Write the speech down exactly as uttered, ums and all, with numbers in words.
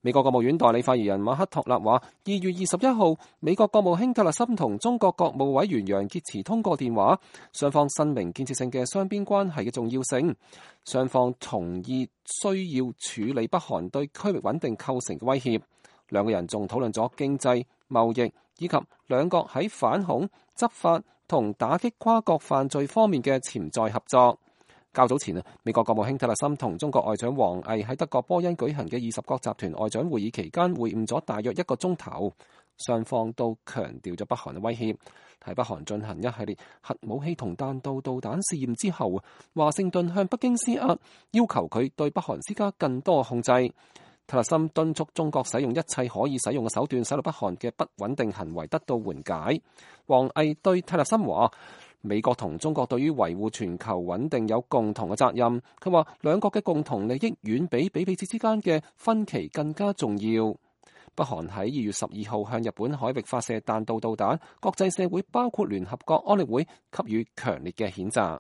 美國國務院代理發言人馬克托納話，二月二十一號，美國國務卿蒂勒森同中國國務委員楊潔篪通過電話，雙方申明建設性嘅雙邊關係嘅重要性，雙方同意需要處理北韓對區域穩定構成嘅威脅。兩個人仲討論咗經濟、貿易以及兩國喺反恐、執法同打擊跨國犯罪方面嘅潛在合作。較早前啊，美國國務卿蒂勒森同中國外長王毅喺德國波恩舉行嘅二十國集團外長會議期間會晤咗大約一個鐘頭，雙方都強調咗北韓嘅威脅。喺北韓進行一系列核武器同彈道導彈試驗之後，華盛頓向北京施壓，要求佢對北韓施加更多控制。蒂勒森敦促中國使用一切可以使用嘅手段，使到北韓嘅不穩定行為得到緩解。王毅對蒂勒森話，美國同中國對於維護全球穩定有共同嘅責任。佢話兩國嘅共同利益遠比比彼此之間嘅分歧更加重要。北韓喺二月十二號向日本海域發射彈道導彈，國際社會包括聯合國安理會給予強烈嘅譴責。